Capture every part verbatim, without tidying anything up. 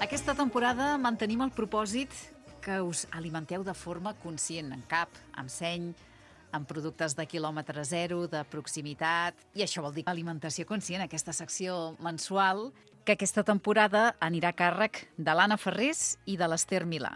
Aquesta temporada mantenim el propòsit que us alimenteu de forma conscient, en cap, amb seny, amb productes de quilòmetre zero, de proximitat, i això vol dir alimentació conscient, aquesta secció mensual, que aquesta temporada anirà a càrrec de l'Anna Ferrés i de l'Ester Milà.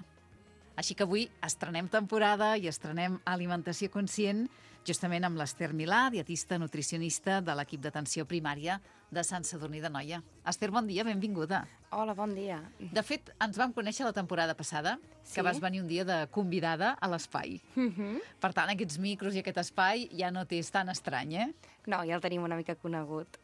Així que avui estrenem temporada i estrenem alimentació conscient justament amb l'Ester Milà, dietista nutricionista de l'equip d'atenció primària de Sant Sadurní d'Anoia. Ester, bon dia, benvinguda. Hola, bon dia. De fet, ens vam conèixer la temporada passada, Sí? que vas venir un dia de convidada a l'espai. Uh-huh. Per tant, aquests micros i aquest espai ja no t'és tan estrany, eh? No, ja el tenim una mica conegut.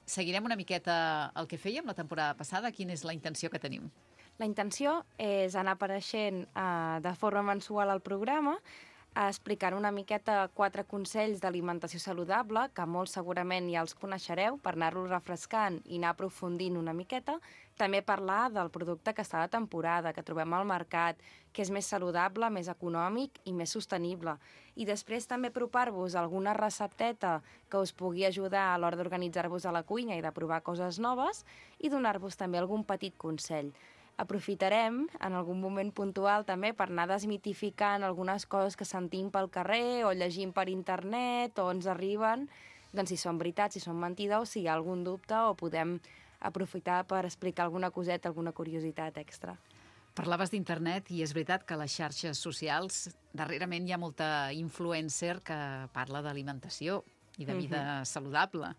Seguirem una miqueta el que fèiem la temporada passada. Quina és la intenció que tenim? La intenció és anar apareixent eh, de forma mensual al programa, explicant una miqueta quatre consells d'alimentació saludable, que molt segurament ja els coneixereu, per anar-los refrescant i anar aprofundint una miqueta. També parlar del producte que està de temporada, que trobem al mercat, que és més saludable, més econòmic i més sostenible. I després també apropar-vos alguna recepteta que us pugui ajudar a l'hora d'organitzar-vos a la cuina i de provar coses noves i donar-vos també algun petit consell. Aprofitarem en algun moment puntual també per anar desmitificant algunes coses que sentim pel carrer o llegim per internet o ens arriben, doncs si són veritats, si són mentides o si hi ha algun dubte o podem aprofitar per explicar alguna coseta, alguna curiositat extra. Parlaves d'internet i és veritat que a les xarxes socials darrerament hi ha molta influencer que parla d'alimentació i de vida uh-huh. saludable.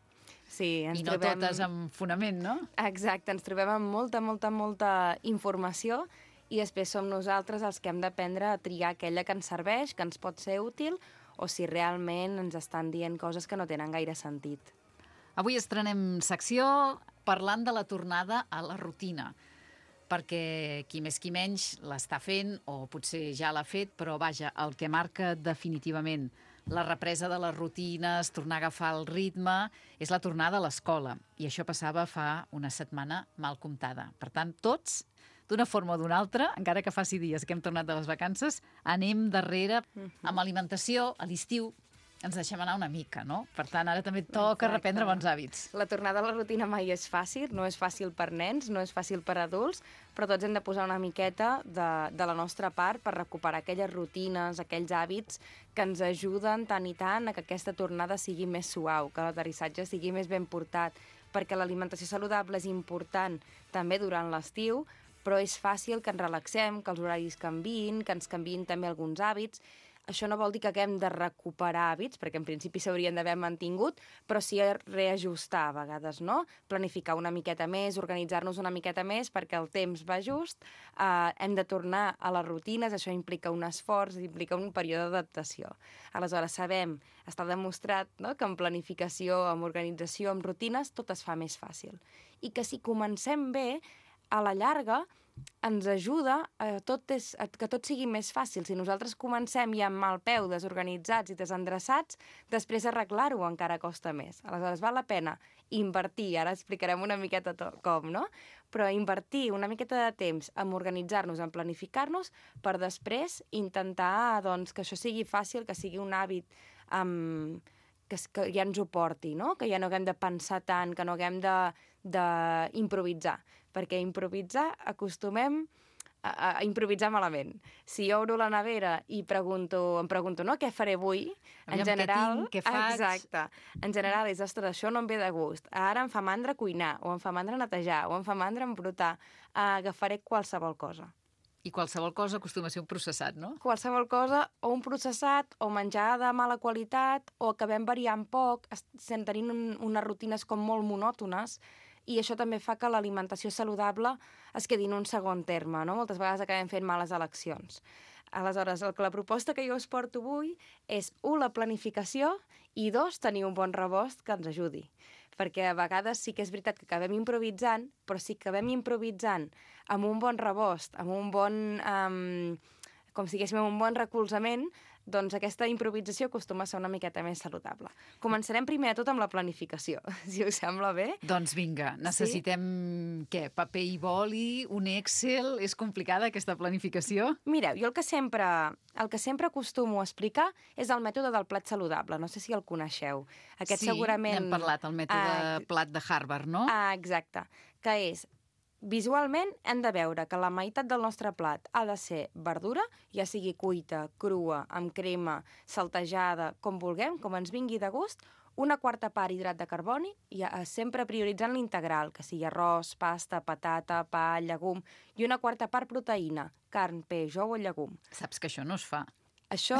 Sí, ens I no trobem... totes amb fonament, no? Exacte, ens trobem amb molta, molta, molta informació i després som nosaltres els que hem d'aprendre a triar aquella que ens serveix, que ens pot ser útil, o si realment ens estan dient coses que no tenen gaire sentit. Avui estrenem secció parlant de la tornada a la rutina, perquè qui més qui menys l'està fent, o potser ja l'ha fet, però vaja, el que marca definitivament la represa de les rutines, tornar a agafar el ritme, és la tornada a l'escola. I això passava fa una setmana mal comptada. Per tant, tots, d'una forma o d'una altra, encara que faci dies que hem tornat de les vacances, anem darrere amb alimentació a l'estiu. Ens deixem anar una mica, no? Per tant, ara també toca Exacte. reprendre bons hàbits. La tornada a la rutina mai és fàcil, no és fàcil per nens, no és fàcil per adults, però tots hem de posar una miqueta de, de la nostra part per recuperar aquelles rutines, aquells hàbits que ens ajuden tant i tant a que aquesta tornada sigui més suau, que l'aterrissatge sigui més ben portat, perquè l'alimentació saludable és important també durant l'estiu, però és fàcil que ens relaxem, que els horaris canviïn, que ens canviïn també alguns hàbits. Això no vol dir que haguem de recuperar hàbits, perquè en principi s'haurien d'haver mantingut, però sí reajustar a vegades, no? Planificar una miqueta més, organitzar-nos una miqueta més perquè el temps va just, eh, hem de tornar a les rutines, això implica un esforç, implica un període d'adaptació. Aleshores, sabem, està demostrat, no?, que amb planificació, amb organització, amb rutines, tot es fa més fàcil. I que si comencem bé, a la llarga ens ajuda a, tot és, a que tot sigui més fàcil. Si nosaltres comencem ja amb mal peu, desorganitzats i desendreçats, després arreglar-ho encara costa més. Aleshores, val la pena invertir, ara explicarem una miqueta com, no? Però invertir una miqueta de temps en organitzar-nos, en planificar-nos, per després intentar doncs, que això sigui fàcil, que sigui un hàbit amb... Que, que ja ens ho porti, no? Que ja no haguem de pensar tant, que no haguem d'improvisar, perquè improvisar acostumem a, a improvisar malament. Si jo obro la nevera i pregunto, em pregunto, no, què faré avui? Aviam, en general, què tinc, què faig? Exacte. En general és, ostres, això no em ve de gust. Ara em fa mandra cuinar, o em fa mandra netejar, o em fa mandra embrutar. Agafaré qualsevol cosa. I qualsevol cosa acostuma a ser un processat, no? Qualsevol cosa, o un processat, o menjar de mala qualitat, o acabem variant poc, tenint un, unes rutines com molt monòtones, i això també fa que l'alimentació saludable es quedi en un segon terme, no? Moltes vegades acabem fent males eleccions. Aleshores, el que la proposta que jo us porto avui és, un, la planificació, i dos, tenir un bon rebost que ens ajudi. Perquè a vegades sí que és veritat que acabem improvisant, però si acabem improvisant amb un bon rebost, amb un bon, um, com si diguéssim, un bon recolzament, doncs aquesta improvisació acostuma a ser una miqueta més saludable. Començarem primer de tot amb la planificació, si us sembla bé. Doncs vinga, necessitem, sí? Què? Paper i boli, un Excel? És complicada aquesta planificació? Mireu, jo el que sempre, el que sempre acostumo a explicar és el mètode del plat saludable. No sé si el coneixeu. Aquest sí, segurament... n'hem parlat, el mètode ah, plat de Harvard, no? Ah, exacte. Que és visualment hem de veure que la meitat del nostre plat ha de ser verdura, ja sigui cuita, crua, amb crema, saltejada, com vulguem, com ens vingui de gust, una quarta part hidrat de carboni, i sempre prioritzant l'integral, que sigui arròs, pasta, patata, pa, llegum, i una quarta part proteïna, carn, peix, ou o llegum. Saps que això no es fa. Això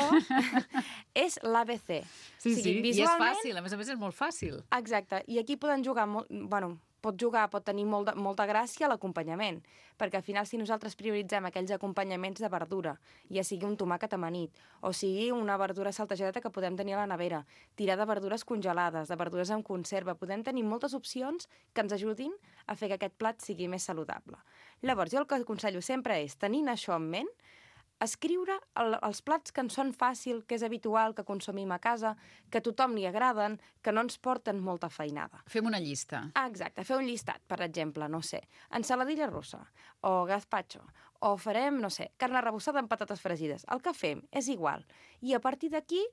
és l'A B C. Sí, sí, i és fàcil, a més a més és molt fàcil. Exacte, i aquí poden jugar, molt, bueno, pot jugar, pot tenir molt de, molta gràcia l'acompanyament, perquè al final si nosaltres prioritzem aquells acompanyaments de verdura, ja sigui un tomàquet amanit, o sigui una verdura saltejada que podem tenir a la nevera, tirar de verdures congelades, de verdures en conserva, podem tenir moltes opcions que ens ajudin a fer que aquest plat sigui més saludable. Llavors, jo el que aconsello sempre és, tenint això en ment, escriure el, els plats que ens són fàcil, que és habitual, que consumim a casa, que a tothom li agraden, que no ens porten molta feinada. Fem una llista. Ah, exacte, fer un llistat, per exemple, no sé, ensaladilla russa, o gazpacho, o farem, no sé, carn arrebossada amb patates fregides. El que fem és igual. I a partir d'aquí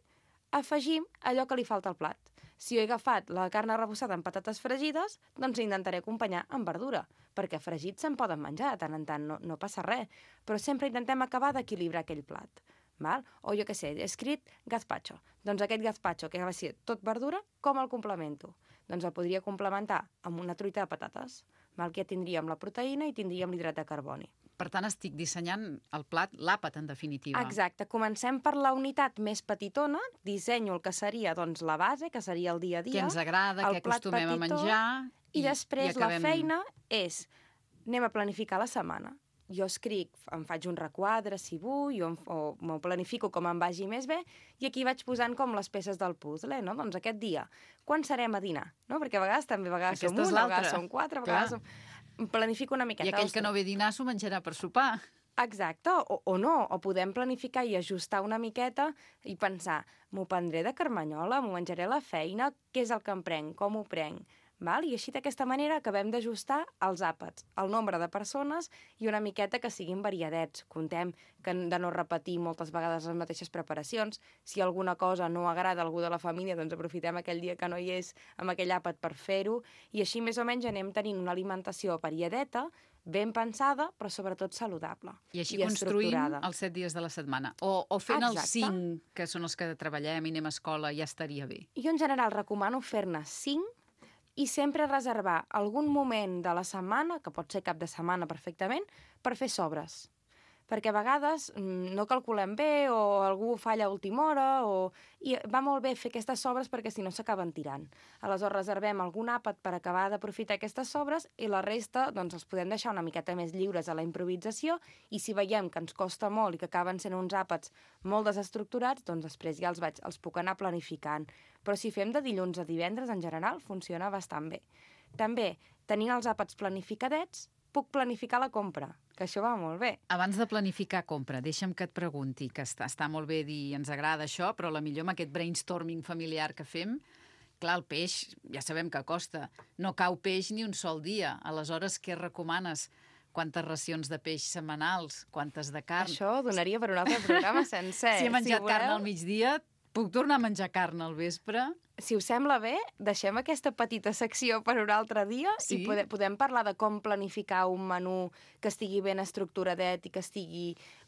afegim allò que li falta al plat. Si jo he agafat la carn arrebossada amb patates fregides, doncs intentaré acompanyar amb verdura, perquè fregits se'n poden menjar de tant en tant, no, no passa res, però sempre intentem acabar d'equilibrar aquell plat. Val? O jo què sé, he escrit gazpacho. Doncs aquest gazpacho, que va ser tot verdura, com el complemento? Doncs el podria complementar amb una truita de patates, val? Que ja tindríem la proteïna i tindríem l'hidrat de carboni. Per tant, estic dissenyant el plat, l'àpat, en definitiva. Exacte. Comencem per la unitat més petitona, dissenyo el que seria doncs, la base, que seria el dia a dia. Què ens agrada, què acostumem petitó, a menjar. I, i després i acabem... la feina és, anem a planificar la setmana. Jo escric, em faig un requadre, si vull, o, o m'ho planifico com em vagi més bé, i aquí vaig posant com les peces del puzzle, no? Doncs aquest dia, quan serem a dinar? No? Perquè a vegades també, a vegades Aquesta som una, a vegades som quatre, a vegades som... Planifico una miqueta. I aquell que no ve a dinar s'ho menjarà per sopar. Exacte, o, o no, o podem planificar i ajustar una miqueta i pensar, m'ho prendré de carmanyola, m'ho menjaré a la feina, què és el que em prenc, com ho prenc? Val? I així d'aquesta manera acabem d'ajustar els àpats, el nombre de persones i una miqueta que siguin variadets. Contem que de no repetir moltes vegades les mateixes preparacions. Si alguna cosa no agrada a algú de la família, doncs aprofitem aquell dia que no hi és amb aquell àpat per fer-ho. I així més o menys anem tenint una alimentació variadeta, ben pensada, però sobretot saludable. I així i construïm els set dies de la setmana. O, o fent Exacte. els cinc, que són els que treballem i anem a escola, ja estaria bé. Jo en general recomano fer-ne cinc, i sempre reservar algun moment de la setmana, que pot ser cap de setmana perfectament, per fer sobres. Perquè a vegades no calculem bé o algú falla a última hora o... i va molt bé fer aquestes sobres perquè si no s'acaben tirant. Aleshores reservem algun àpat per acabar d'aprofitar aquestes sobres i la resta doncs, els podem deixar una miqueta més lliures a la improvisació i si veiem que ens costa molt i que acaben sent uns àpats molt desestructurats, doncs després ja els, vaig, els puc anar planificant. Però si fem de dilluns a divendres, en general, funciona bastant bé. També, tenint els àpats planificadets, puc planificar la compra, que això va molt bé. Abans de planificar compra, deixa'm que et pregunti, que està, està molt bé dir ens agrada això, però la millor amb aquest brainstorming familiar que fem, clar, el peix ja sabem que costa, no cau peix ni un sol dia. Aleshores, què recomanes? Quantes racions de peix setmanals? Quantes de carn? Això donaria per un altre programa sencer. Si he menjat si carn al migdia, puc tornar a menjar carn al vespre? Si us sembla bé, deixem aquesta petita secció per un altre dia sí? i podem, podem parlar de com planificar un menú que estigui ben estructuradet i que estigui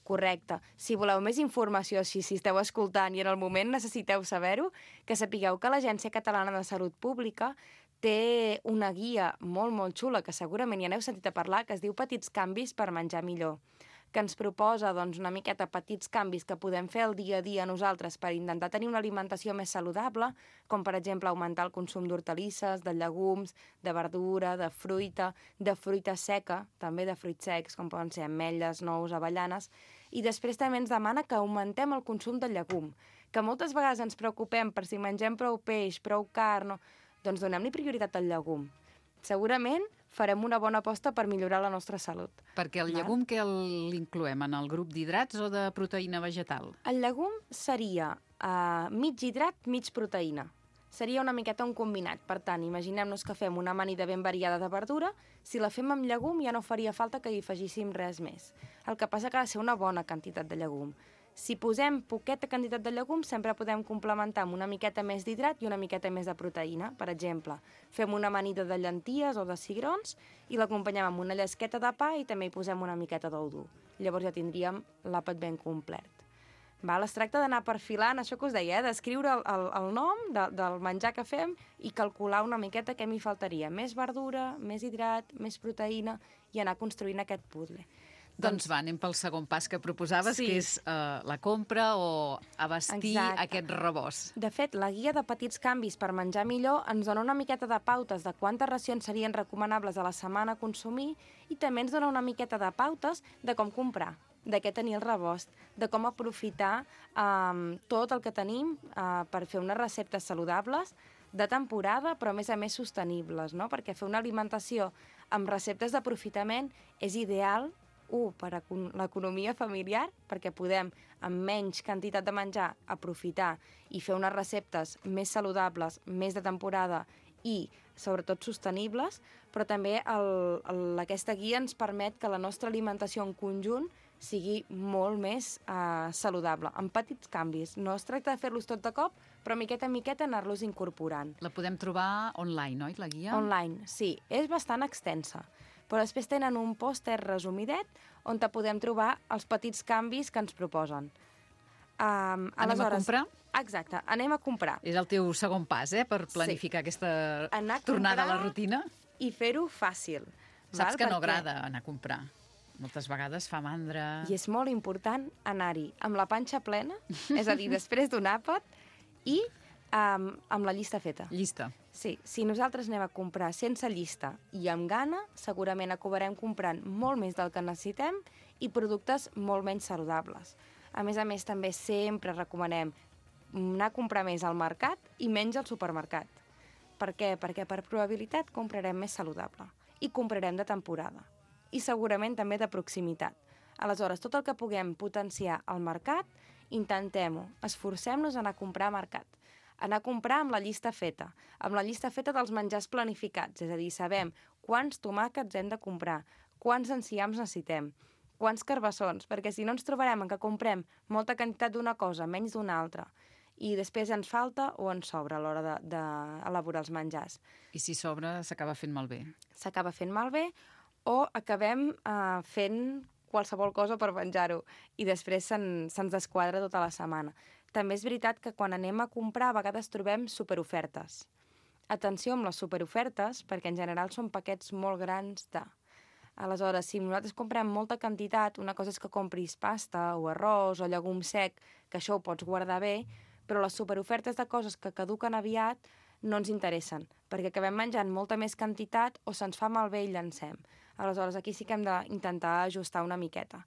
correcte. Si voleu més informació, si, si esteu escoltant i en el moment necessiteu saber-ho, que sapigueu que l'Agència Catalana de Salut Pública té una guia molt, molt xula, que segurament ja n'heu sentit a parlar, que es diu Petits canvis per menjar millor, que ens proposa doncs, una miqueta petits canvis que podem fer el dia a dia nosaltres per intentar tenir una alimentació més saludable, com per exemple augmentar el consum d'hortalisses, de llegums, de verdura, de fruita, de fruita seca, també de fruits secs, com poden ser ametlles, nous, avellanes, i després també ens demana que augmentem el consum de llegum, que moltes vegades ens preocupem per si mengem prou peix, prou carn, doncs donem-li prioritat al llegum. Segurament farem una bona aposta per millorar la nostra salut. Perquè el llegum que l'incloem en el grup d'hidrats o de proteïna vegetal? El llegum seria uh, mig hidrat, mig proteïna. Seria una miqueta un combinat. Per tant, imaginem-nos que fem una amanida ben variada de verdura. Si la fem amb llegum ja no faria falta que hi afegíssim res més. El que passa que ha de ser una bona quantitat de llegum. Si posem poqueta quantitat de llegums, sempre podem complementar amb una miqueta més d'hidrat i una miqueta més de proteïna. Per exemple, fem una amanida de llenties o de cigrons i l'acompanyem amb una llesqueta de pa i també hi posem una miqueta d'ou dur. Llavors ja tindríem l'àpat ben complet. Val? Es tracta d'anar perfilant, això que us deia, eh? D'escriure el, el, el nom de, del menjar que fem i calcular una miqueta què m'hi faltaria. Més verdura, més hidrat, més proteïna i anar construint aquest puzzle. Doncs va, anem pel segon pas que proposaves, Sí. que és uh, la compra o abastir Exacte. aquest rebost. De fet, la guia de petits canvis per menjar millor ens dona una miqueta de pautes de quantes racions serien recomanables a la setmana a consumir i també ens dona una miqueta de pautes de com comprar, de què tenir el rebost, de com aprofitar um, tot el que tenim uh, per fer unes receptes saludables de temporada, però a més a més sostenibles, no? Perquè fer una alimentació amb receptes d'aprofitament és ideal, un, per a l'economia familiar, perquè podem, amb menys quantitat de menjar, aprofitar i fer unes receptes més saludables, més de temporada i, sobretot, sostenibles, però també el, el, aquesta guia ens permet que la nostra alimentació en conjunt sigui molt més eh, saludable, amb petits canvis. No es tracta de fer-los tot de cop, però miqueta en miqueta anar-los incorporant. La podem trobar online, oi, la guia? Online, sí. És bastant extensa. Però després tenen un pòster resumidet on te podem trobar els petits canvis que ens proposen. Um, anem aleshores, a comprar? Exacte, anem a comprar. És el teu segon pas, eh?, per planificar sí. aquesta anar tornada a la rutina. I fer-ho fàcil. Saps val? que no Perquè... agrada anar a comprar. Moltes vegades fa mandra. I és molt important anar-hi amb la panxa plena, és a dir, després d'un àpat, i um, amb la llista feta. Llista. Sí, si nosaltres anem a comprar sense llista i amb gana, segurament acabarem comprant molt més del que necessitem i productes molt menys saludables. A més a més, també sempre recomanem anar a comprar més al mercat i menys al supermercat. Per què? Perquè per probabilitat comprarem més saludable i comprarem de temporada. I segurament també de proximitat. Aleshores, tot el que puguem potenciar al mercat, intentem-ho, esforcem-nos a anar a comprar a mercat. Anar a comprar amb la llista feta, amb la llista feta dels menjars planificats, és a dir, sabem quants tomàquets hem de comprar, quants enciams necessitem, quants carbassons, perquè si no ens trobarem en què comprem molta quantitat d'una cosa, menys d'una altra, i després ens falta o ens sobra a l'hora d'elaborar els menjars. I si sobra, s'acaba fent malbé. S'acaba fent malbé o acabem eh, fent qualsevol cosa per menjar-ho i després se'ns se desquadra tota la setmana. També és veritat que quan anem a comprar a vegades trobem superofertes. Atenció amb les superofertes, perquè en general són paquets molt grans de... Aleshores, si nosaltres comprem molta quantitat, una cosa és que compris pasta o arròs o llegum sec, que això ho pots guardar bé, però les superofertes de coses que caduquen aviat no ens interessen, perquè acabem menjant molta més quantitat o se'ns fa malbé i llancem. Aleshores, aquí sí que hem d'intentar ajustar una miqueta.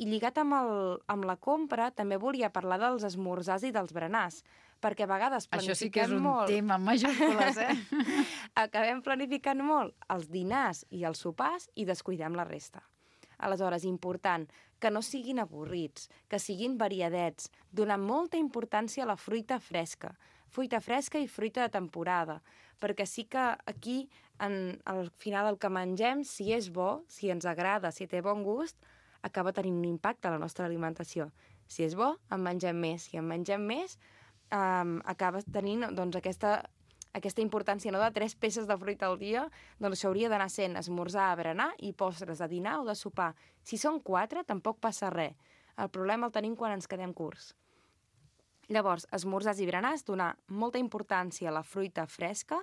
I lligat amb, el, amb la compra, també volia parlar dels esmorzars i dels berenars, perquè a vegades planifiquem molt... Això sí que és un molt... tema en majúscules, eh? Acabem planificant molt els dinars i els sopars i descuidem la resta. Aleshores, important, que no siguin avorrits, que siguin variadets, donar molta importància a la fruita fresca, fruita fresca i fruita de temporada, perquè sí que aquí, en, al final, el que mengem, si és bo, si ens agrada, si té bon gust, acaba tenint un impacte a la nostra alimentació. Si és bo, en mengem més. Si en mengem més, um, acaba tenint doncs, aquesta, aquesta importància, no?, de tres peces de fruita al dia, doncs això hauria d'anar sent esmorzar, berenar i postres de dinar o de sopar. Si són quatre, tampoc passa res. El problema el tenim quan ens quedem curts. Llavors, esmorzars i berenars, donar molta importància a la fruita fresca,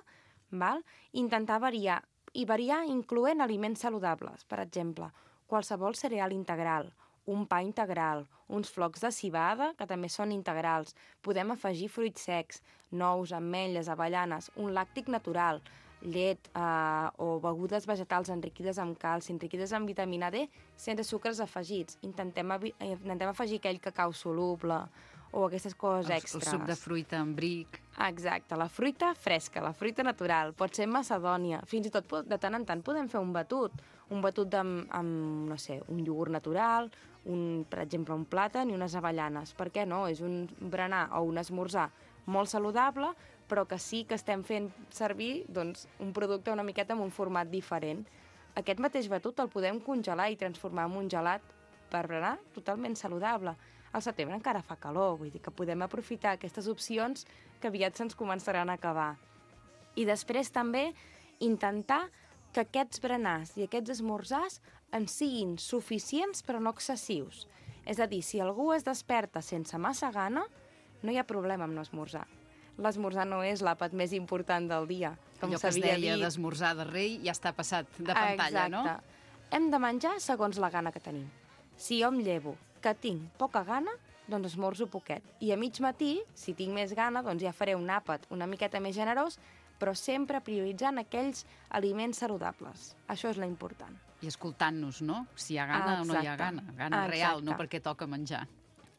val? Intentar variar, i variar incloent aliments saludables. Per exemple, qualsevol cereal integral, un pa integral, uns flocs de civada, que també són integrals. Podem afegir fruits secs, nous, ametlles, avellanes, un làctic natural, llet eh, o begudes vegetals enriquides amb calci, enriquides amb vitamina D, sense sucres afegits. Intentem, intentem afegir aquell cacau soluble o aquestes coses el, extres. El suc de fruita amb bric. Exacte, la fruita fresca, la fruita natural, pot ser macedònia, fins i tot de tant en tant podem fer un batut, un batut amb, amb no sé, un iogurt natural, un, per exemple, un plàtan i unes avellanes. Per què no? És un berenar o un esmorzar molt saludable, però que sí que estem fent servir doncs, un producte una miqueta amb un format diferent. Aquest mateix batut el podem congelar i transformar en un gelat per berenar totalment saludable. al setembre encara fa calor, vull dir que podem aprofitar aquestes opcions que aviat se'ns començaran a acabar. I després també intentar que aquests berenars i aquests esmorzars ens siguin suficients però no excessius. És a dir, si algú es desperta sense massa gana, no hi ha problema amb no esmorzar. L'esmorzar no és l'àpat més important del dia, com allò que es s'havia deia dit. d'esmorzar de rei ja està passat de pantalla, Exacte. no? Hem de menjar segons la gana que tenim. Si jo em llevo que tinc poca gana, doncs esmorzo poquet. I a mig matí, si tinc més gana, doncs ja faré un àpat una miqueta més generós, però sempre prioritzant aquells aliments saludables. Això és l'important. I escoltant-nos, no? Si hi ha gana Exacte. o no hi ha gana. Gana Exacte. real, no perquè toca menjar.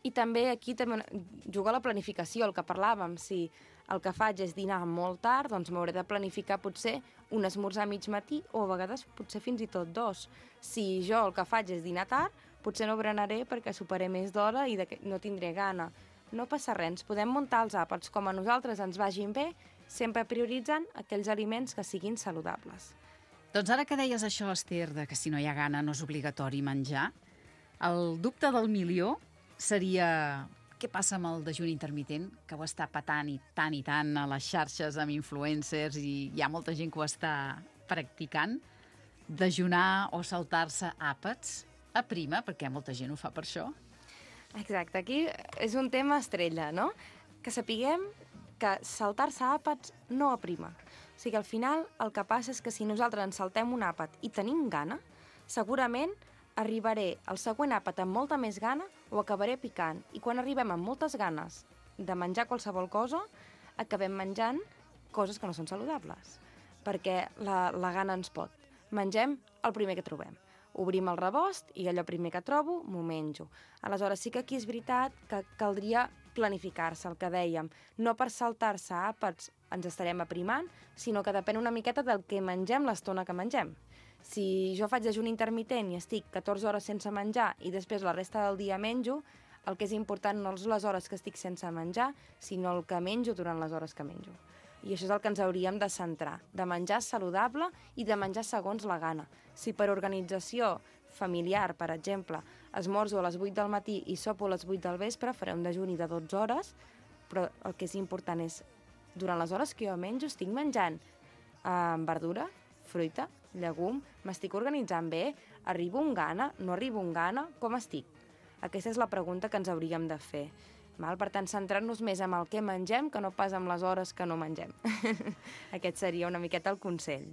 I també aquí també juga la planificació, el que parlàvem. Si el que faig és dinar molt tard, doncs m'hauré de planificar potser un esmorzar a mig matí o a vegades potser fins i tot dos. Si jo el que faig és dinar tard, potser no berenaré perquè superaré més d'hora i no tindré gana. No passa res, ens podem muntar els àpats com a nosaltres ens vagin bé, sempre prioritzant aquells aliments que siguin saludables. Doncs ara que deies això, Esther, de que si no hi ha gana no és obligatori menjar, el dubte del milió seria què passa amb el dejuni intermitent, que ho està patant i tant i tant a les xarxes amb influencers i hi ha molta gent que ho està practicant. Dejunar o saltar-se àpats a prima, perquè molta gent ho fa per això. Exacte, aquí és un tema estrella, no? Que sapiguem que saltar-se àpats no aprima. O sigui, al final el que passa és que si nosaltres ens saltem un àpat i tenim gana, segurament arribaré al següent àpat amb molta més gana o acabaré picant. I quan arribem amb moltes ganes de menjar qualsevol cosa, acabem menjant coses que no són saludables, perquè la, la gana ens pot. Mengem el primer que trobem. Obrim el rebost i allò primer que trobo m'ho menjo. Aleshores sí que aquí és veritat que caldria planificar-se, el que dèiem. No per saltar-se àpats ens estarem aprimant, sinó que depèn una miqueta del que mengem l'estona que mengem. Si jo faig dejuni intermitent i estic catorze hores sense menjar i després la resta del dia menjo, el que és important no és les hores que estic sense menjar, sinó el que menjo durant les hores que menjo. I això és el que ens hauríem de centrar, de menjar saludable i de menjar segons la gana. Si per organització familiar, per exemple, esmorzo a les vuit del matí i sopo a les vuit del vespre, faré un dejuni de dotze hores, però el que és important és, durant les hores que jo menjo, estic menjant eh, verdura, fruita, llegum, m'estic organitzant bé, arribo amb gana, no arribo amb gana, com estic? Aquesta és la pregunta que ens hauríem de fer. Val? Per tant, centrar-nos més en el que mengem que no pas en les hores que no mengem. Aquest seria una miqueta el consell.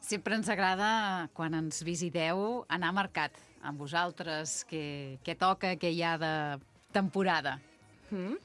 Sempre ens agrada, quan ens visiteu, anar a mercat amb vosaltres, què, què toca, què hi ha de temporada. Mm.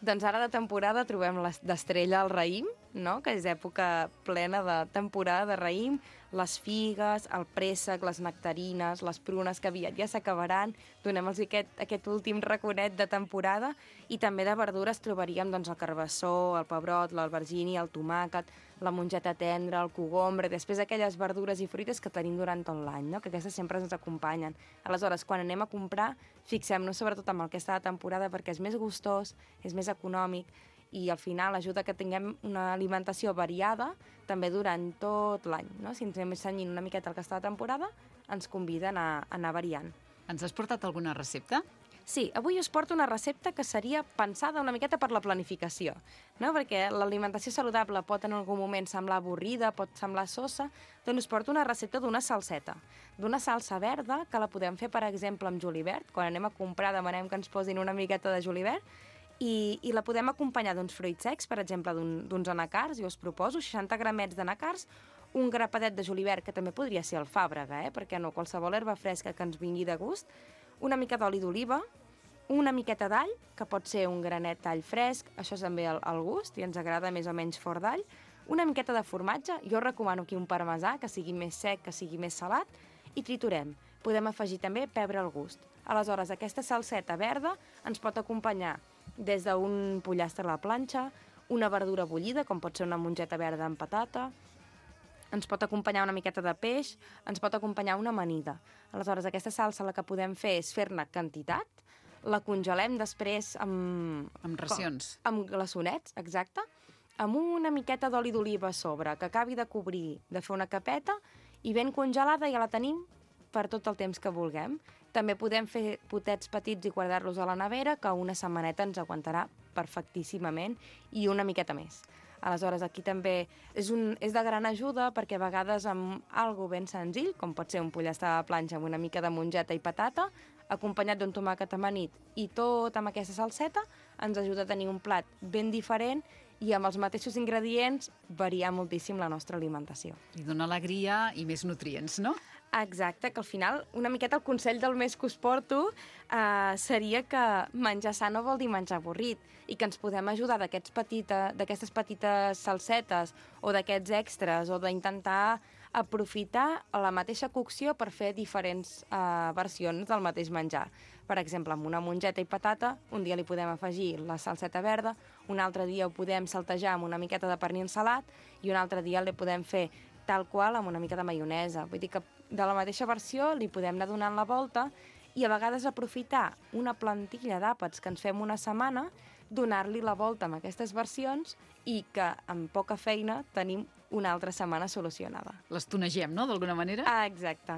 Doncs ara de temporada trobem d'estrella el raïm, no? Que és època plena de temporada de raïm, les figues, el préssec, les nectarines, les prunes que aviat ja s'acabaran, donem-los aquest, aquest últim raconet de temporada, i també de verdures trobaríem doncs, el carbassó, el pebrot, l'albergínia, el tomàquet, la mongeta tendra, el cogombre, després aquelles verdures i fruites que tenim durant tot l'any, no? Que aquestes sempre ens acompanyen. Aleshores, quan anem a comprar, fixem-nos sobretot en el que està de temporada perquè és més gustós, és més econòmic, i al final ajuda que tinguem una alimentació variada també durant tot l'any, no? Si ens anem cenyint una miqueta el que està de temporada, ens convida a anar, a anar variant. Ens has portat alguna recepta? Sí, avui us porto una recepta que seria pensada una miqueta per la planificació, no? Perquè l'alimentació saludable pot en algun moment semblar avorrida, pot semblar sosa, doncs us porto una recepta d'una salseta, d'una salsa verda, que la podem fer, per exemple, amb julivert. Quan anem a comprar demanem que ens posin una miqueta de julivert, i, i la podem acompanyar d'uns fruits secs, per exemple, d'uns un, anacars. Jo us proposo seixanta gramets d'anacars, un grapadet de julivert, que també podria ser alfàbrega, eh? Perquè no, qualsevol herba fresca que ens vingui de gust, una mica d'oli d'oliva, una miqueta d'all, que pot ser un granet d'all fresc, això és també al, al gust, i ens agrada més o menys fort d'all, una miqueta de formatge, jo recomano aquí un parmesà, que sigui més sec, que sigui més salat, i triturem. Podem afegir també pebre al gust. Aleshores, aquesta salseta verda ens pot acompanyar des d'un pollastre a la planxa, una verdura bullida, com pot ser una mongeta verda amb patata, ens pot acompanyar una miqueta de peix, ens pot acompanyar una amanida. Aleshores, aquesta salsa la que podem fer és fer-ne quantitat, la congelem després amb... Amb racions. Com, amb glaçonets, exacte, amb una miqueta d'oli d'oliva a sobre, que acabi de cobrir, de fer una capeta, i ben congelada ja la tenim per tot el temps que vulguem. També podem fer potets petits i guardar-los a la nevera, que una setmaneta ens aguantarà perfectíssimament i una miqueta més. Aleshores, aquí també és, un, és de gran ajuda perquè a vegades amb algo ben senzill, com pot ser un pollastre a la planxa amb una mica de mongeta i patata, acompanyat d'un tomàquet amanit i tot amb aquesta salseta, ens ajuda a tenir un plat ben diferent i amb els mateixos ingredients variar moltíssim la nostra alimentació. I dona alegria i més nutrients, no? Exacte, que al final una miqueta el consell del mes que us porto eh, seria que menjar sa no vol dir menjar avorrit i que ens podem ajudar d'aquestes petita, d'aquestes petites salsetes o d'aquests extras o d'intentar aprofitar la mateixa cocció per fer diferents eh, versions del mateix menjar. Per exemple, amb una mongeta i patata, un dia li podem afegir la salseta verda, un altre dia ho podem saltejar amb una miqueta de pernil salat i un altre dia li podem fer tal qual amb una mica de maionesa. Vull dir que de la mateixa versió li podem anar donant la volta i a vegades aprofitar una plantilla d'àpats que ens fem una setmana, donar-li la volta amb aquestes versions i que amb poca feina tenim una altra setmana solucionada. Les tonegem, no?, d'alguna manera? Ah, exacte.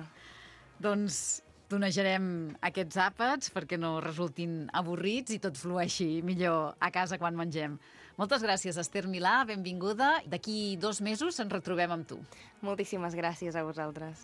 Doncs tonejarem aquests àpats perquè no resultin avorrits i tot flueixi millor a casa quan mengem. Moltes gràcies, Ester Milà, benvinguda. D'aquí dos mesos ens retrobem amb tu. Moltíssimes gràcies a vosaltres.